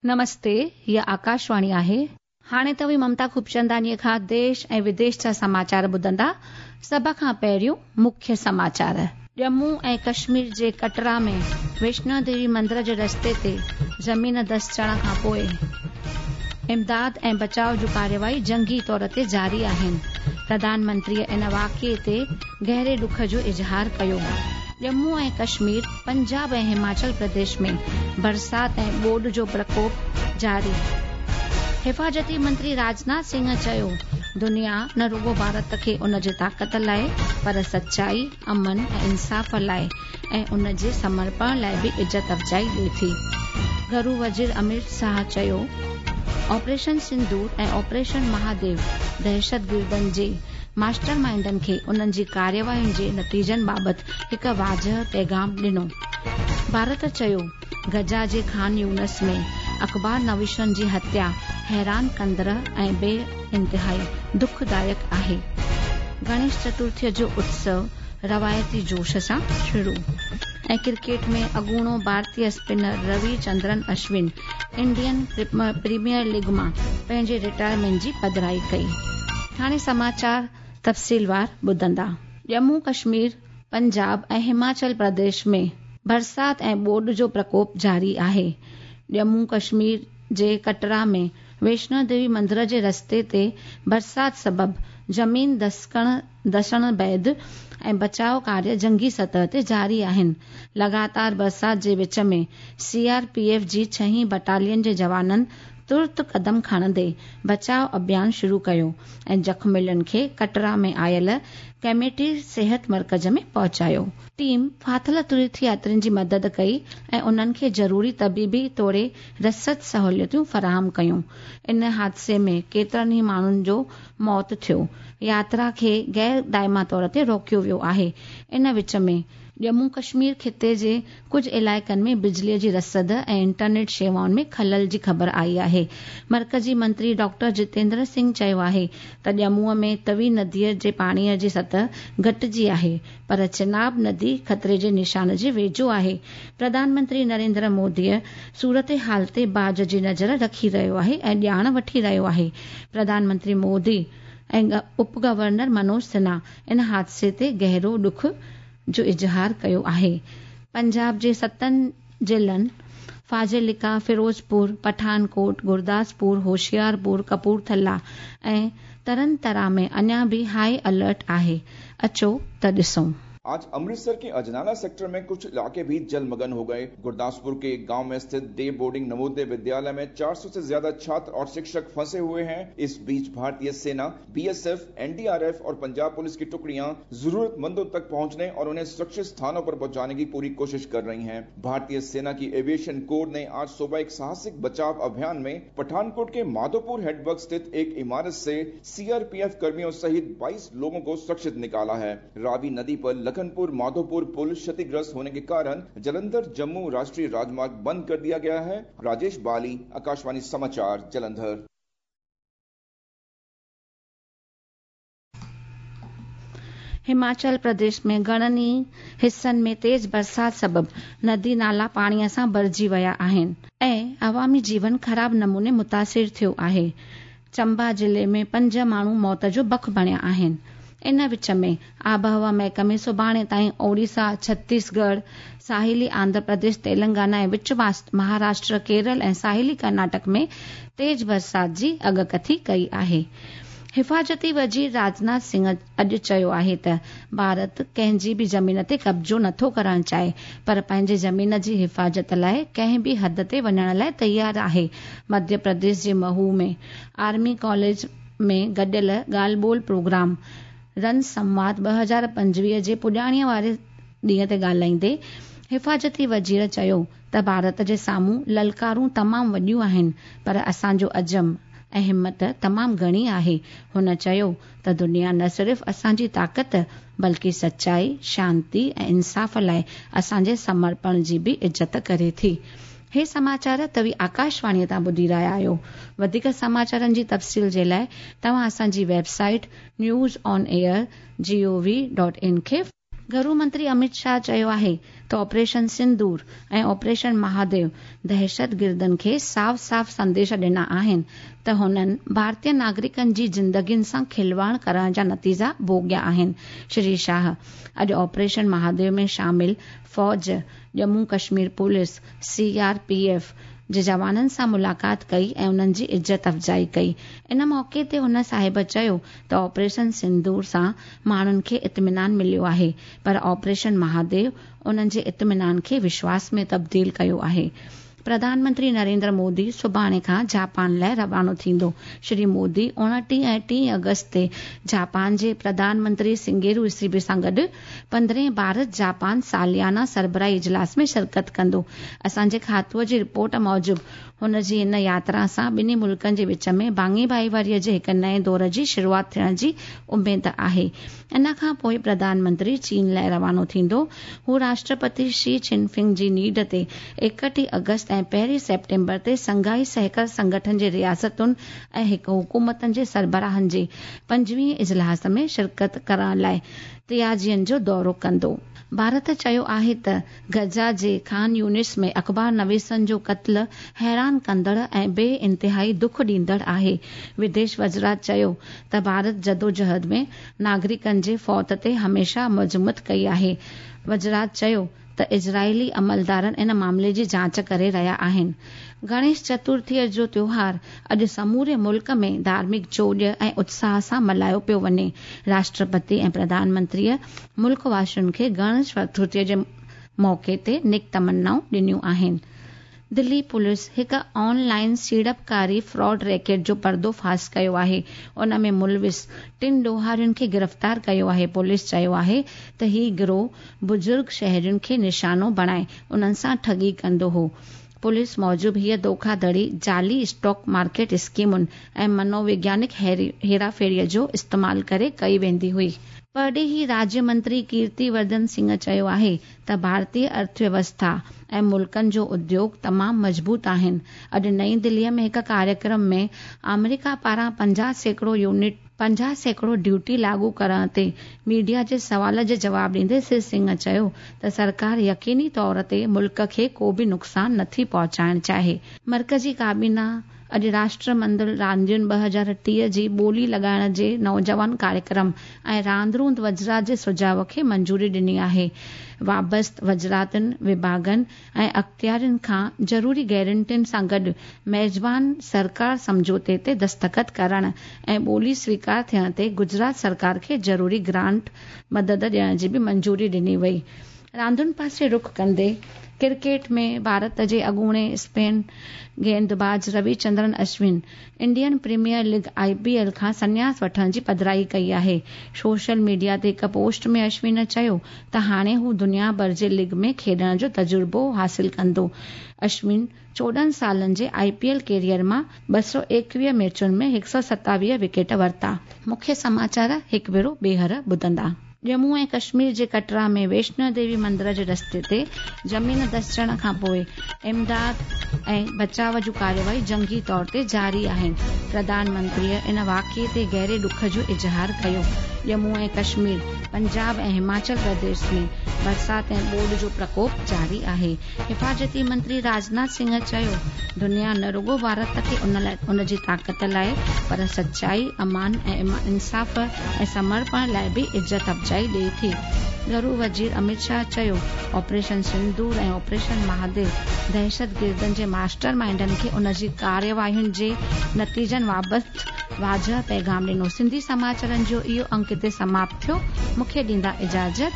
نمستي، هيء آڪاشواڻي آهي. هاڻي توهين ممتا خوبچنداڻيء کان ديش ۽ وديش جا سماچار ٻڌندا. سڀ کان پهريون مکيه سماچار. ڄمون ۽ ڪشمير جي ڪٽرا ۾ ويشنو ديوي مندر جي رستي تي زمين دسجڻ کان پوء امداد ۽ بچاء جون ڪارروائي جنگي طور تي جاري آهن. پرڌان منتريء ان واقعي تي گهري ڏک جو اظهار ڪيو. ڄمون ۽ ڪشمير، پنجاب ۽ هماچل پرديش ۾ برسات ۽ ٻوڏ جو پرڪوپ جاري. حفاظتي منتري راجناٿ سنگهه چيو، دنيا نه رڳو ڀارت کي ان جي طاقت لاء پر سچائي، امن ۽ انصاف لاء ۽ ان جي سمرپڻ لاء به عزت افزائي ڏئي ٿي. گهرو وزير اميت شاهه چيو، آپريشن سندور ۽ آپريشن مهاديو دهشتگردن جي ماسٽر مائينڊن کي انهن جي ڪاررواين جي نتيجن بابت هڪ واضح پيغام ڏنو. ڀارت چيو، غزه جي خان يونس ۾ اخبار نويسن جي هتيا حيران ڪندڙ ۽ بي انتهائي دکدائڪ آهي. گڻيش چترٿيء جو اتسو روايتي جوش سان شروع ۽ ڪرڪيٽ ۾ اڳوڻو ڀارتي spinner Ravichandran Ashwin Indian Premier League مان پنهنجي رٽائرمينٽ جي پڌرائي ڪئي. هاڻي سماچار تفصيلوار ٻڌندا. ڄمون ڪشمير، پنجاب ۽ هماچل پرديش ۾ برسات ۽ ٻوڏ جو پرڪوپ جاري آهي. ڄمون ڪشمير جي ڪٽرا ۾ ويشنو ديوي مندر جي رستي تي برسات سبب زمين دسڪڻ دسڻ بعد ۽ بچاء ڪاريه جنگي سطح تي جاري آهن. لڳاتار برسات جي وچ ۾ سي آر پي ايف جي ڇهين بٽالين جي جوانن ترت قدم کڻندي بچاء اڀيان شروع ڪيو ۽ زخميلن کي ڪٽرا ۾ آيل ڪميٽي صحت مرڪز ۾ پهچايو. ٽيم ڦاٿل تيرٿ ياترين جي مدد ڪئي ۽ انهن کي ضروري طبيبي توڙي رسد سهولتون فراهم ڪيون. ان حادثي ۾ ڪيترن ئي ماڻهن جو موت ٿيو. ياترا کي غير دائمي طور تي روڪيو ويو آهي. ان وچ ۾، ڄمون ڪشمير خطي جي ڪجهه علائقن ۾ بجلي جي رسد ۽ انٽرنيٽ شيوائن ۾ خلل جي خبر آئي آهي. مرڪزي منتري ڊاڪٽر جتيندر سنگهه چيو آهي ته ڄمون ۾ توي نديء جي پاڻي جي سطح گهٽجي آهي پر چناب ندي خطري جي نشان جي ويجهو آهي. پرڌان منتري نريندر موديء صورتحال تي باز جي نظر رکي رهيو آهي ۽ ڄاڻ وٺي رهيو آهي. پرڌان منتري مودي ۽ اپ گورنر منوج سنها ان حادثي تي گهرو ڏک جو اظهار ڪيو آهي. پنجاب جي ستن ضلعن فاضلڪا، فيروزپور، پٺان ڪوٽ، گرداسپور، هوشيارپور، ڪپورٿلا ۽ ترن ترا ۾ اڃا به هاء الرٽ آهي. اچو ته ڏسون. आज अमृतसर के अजनाला सेक्टर में कुछ इलाके भी जलमग्न हो गए। गुरदासपुर के एक गांव में स्थित डे बोर्डिंग नवोदय विद्यालय में 400 से ज्यादा छात्र और शिक्षक फंसे हुए हैं। इस बीच भारतीय सेना, बीएसएफ, एनडीआरएफ और पंजाब पुलिस की टुकड़ियां जरूरतमंदों तक पहुंचने और उन्हें सुरक्षित स्थानों पर पहुंचाने की पूरी कोशिश कर रही हैं। भारतीय सेना की एविएशन कोर ने आज सुबह एक साहसिक बचाव अभियान में पठानकोट के माधोपुर हेडवर्क स्थित एक इमारत से सीआरपीएफ कर्मियों सहित 22 लोगों को सुरक्षित निकाला है। रावी नदी पर लखनपुर माधोपुर पुल क्षतिग्रस्त होने के कारण जलंधर जम्मू राष्ट्रीय राजमार्ग बंद कर दिया गया है। राजेश बाली, आकाशवाणी समाचार, जलंधर। هماچل پرديش ۾ گهڻن ئي حصن ۾ تيز برسات سبب ندي نالا پاڻي سان ڀرجي ويا آهن ۽ عوامي جيون خراب نموني متاثر ٿيو آهي. چمبا ضلعي ۾ پنج ماڻهو موت جو بک بڻيا آهن. ان وچ ۾ آبهوا محڪمي سڀاڻي تائين اوڙيسا، ڇتيس ڳڙهه، ساحلي آنڌرا پرديش، تيلنگانا ۽ وچ مهاراشٽر، ڪيرل ۽ ساحلي ڪرناٽڪ ۾ تيز برسات جي اڳڪٿي ڪئي آهي. حفاظتي وزير راجناٿ سنگهه اڄ چيو آهي ته ڀارت ڪنهن جي به زمين تي قبضو نٿو ڪرڻ چاهي پر پنهنجي زمين جي حفاظت لاء ڪنهن به حد تي وڃڻ لاء تيار آهي. مڌيه پرديش جي مهو ۾ آرمي ڪاليج ۾ گڏيل ڳالهه ٻولهه پروگرام رن سنواد 2025 جي پڄاڻي واري ڏينهن تي ڳالهائيندي حفاظتي وزير چيو ته ڀارت جي سامهون للڪارون تمام وڏيون آهن پر اسان جو عزم ۽ همت تمام گهڻي آهي. هن چيو ته دنيا نه صرف اسان جي طاقت بلڪه سچائي، شانتي ۽ انصاف لاء اسان جي سمرپڻ جي به عزت ڪري ٿي. هي سماچار توهين آڪاشواڻيء تان ٻڌي رهيا آهيو. وڌيڪ سماچارن جي تفصيل جي لاء توهان اسان جي website news on air G O V dot in کي. گهرو منتري امت شاهه چيو آهي ته آپريشن سندور ۽ آپريشن مهاديو دهشتگردن کي صاف صاف سنديش ڏنا آهن ته هنن ڀارتيه ناگرڪن جي زندگين سان کلواڙ ڪرڻ جا نتيجا ڀوڳيا آهن. شري شاهه اڄ آپريشن مهاديو ۾ شامل فوج، Jammu Kashmir police, C R P F جي جوانن سان ملاقات ڪئي ۽ انهن جي عزت افزائي ڪئي. ان موقعي تي هن صاحب چيو ته آپريشن سندور سان ماڻهن کي اطمينان مليو آهي پر آپريشن مهاديو انهن جي اطمينان کي وشواس ۾ تبديل ڪيو آهي. پرڌان منتري نريندر مودي سڀاڻي کان جاپان لاءِ روانو ٿيندو. شري مودي 29 ۽ 30 آگسٽ تي جاپان جي پرڌان منتري سنگيرو اسيبي سان گڏ 15هين ڀارت جاپان ساليانه سربراهي اجلاس ۾ شرڪت ڪندو. اسان جي کاتوءَ جي رپورٽ موجب هن جي ان ياترا سان ٻنهي ملڪن جي وچ ۾ ڀاڱي ڀائيواريءَ جي هڪ نئين دور جي شروعات ٿيڻ جي اميد آهي. ان کان پوءِ پرڌان منتري چين لاءِ روانو ٿيندو. هو راشٽرپتي شي چن فنگ جي نينڍ تي 31 آگسٽ ۽ 1 سيپٽمبر تي شنگهائي سهڪار سنگٺن جي رياستن ۽ حڪومتن جي سربراهن جي 25هين اجلاس ۾ شرڪت ڪرڻ لاءِ تيانجين جو دورو ڪندو. ڀارت چيو آهي ته غزه جي خان يونس ۾ اخبار نويسن جو قتل حيران ڪندڙ ۽ بي انتهائي دک ڏيندڙ آهي. وديش وزارت چيو ته ڀارت جدوجهد ۾ ناگرڪن جي فوت تي هميشه مذمت ڪئي آهي. وزارت چيو ته اسرائيلي عملدارن ان معاملي جي جاچ ڪري رهيا آهن. گڻيش چترٿيءَ جو تيوهار اڄ سموري ملڪ ۾ ڌارمڪ جوش ۽ اتساهه سان ملهايو پيو وڃي. راشٽرپتي ۽ پرڌان منتريءَ ملڪ واسين کي گڻيش چترٿيءَ جي موقعي تي نيڪ تمنائون ڏنيون آهن. دلي پوليس هڪ آن لائن سيڙپڪاري فراڊ ريڪيٽ جو پردو فاش ڪيو آهي. ان ۾ ملوث ٽن ڏوهارين کي گرفتار ڪيو آهي. پوليس چيو آهي ته هي گروهه بزرگ شهرين کي نشانو بڻائي انهن سان ٺڳي ڪندو هو. پوليس موجب هيءَ ڌوکاڌڙي جعلي اسٽاڪ مارڪيٽ اسڪيمن ۽ منووگيانڪ هيراڦيريءَ جو استعمال ڪري ڪئي ويندي هئي. پرڏيهي راجيه منتري ڪيرتي ورڌن سنگهه چيو آهي ته ڀارتيه ارٿويوسٿا ۽ ملڪن جو اديوگ تمام مضبوط آهن. اڄ نئين دليءَ ۾ هڪ ڪاريڪرم ۾ آمريڪا پاران 50% ڊيوٽي لاڳو ڪرڻ تي ميڊيا جي سوال جي جواب ڏيندي شري سنگهه چيو ته سرڪار يقيني طور تي ملڪ کي ڪو به نقصان نٿي پهچائڻ چاهي. مرڪزي ڪابينا اڄ راشٽر منڊل راندين 2030 جي ٻولي لڳائڻ جي نوجوان ڪاريڪرم ۽ راند روند وزارت جي سجهاءُ کي منظوري ڏني آهي. وابسته وزارتن، وڀاڳن ۽ اختيارين کان ضروري گارنٽين سان گڏ ميزبان سرڪار سمجهوتي تي دستخط ڪرڻ ۽ ٻولي سويڪار ٿيڻ تي گجرات سرڪار کي ضروري گرانٽ مدد ڏيڻ جي به منظوري ڏني وئي. راندن پاسي رخ ڪندي ڪرڪيٽ ۾ ڀارت جي اڳوڻي spin گيندباز Ravichandran Ashwin Indian Premier League I P L کان سنياس وٺڻ جي پڌرائي ڪئي آهي. سوشل ميڊيا تي هڪ پوسٽ ۾ اشون چيو ته هاڻي هو دنيا ڀر جي ليگ ۾ کيڏڻ جو تجربو حاصل ڪندو. اشون 14 سالن جي آئي پي ايل ڪيريئر مان 221 ميچن ۾ 127 وڪيٽ ورتا. مکيه سماچار هڪ ڀيرو ٻيهر ٻڌندا. ڄمون ۽ ڪشمير جي ڪٽرا ۾ ويشنو ديوي مندر جي رستي تي زمين دسجڻ کان پوءِ امداد ۽ بچاءُ جون ڪارروائي جنگي طور تي جاري آهن. پرڌان منتريءَ ان واقعي تي گهري ڏک جو اظهار ڪيو. ڄمون ۽ ڪشمير، پنجاب ۽ هماچل پرديش ۾ برسات ۽ ٻوڏ جو پرڪوپ جاري آهي. حفاظتي منتري راجناٿ سنگهه چيو، دنيا نه رڳو ڀارت کي ان جي طاقت لاءِ پر سچائي، امان ۽ انصاف ۽ سمرپڻ لاءِ به عزت افزائي ڏئي ٿي. گهرو وزير امت شاهه چيو، آپريشن سندور ۽ آپريشن مهاديو دهشتگردن جي ماسٽر مائينڊن کي ان جي ڪارروائين جي نتيجن بابت واضح پيغام ڏنو. سنڌي سماچارن جو اهو انڪ هتي سماپت ٿيو. مون کي ڏيندا اجازت.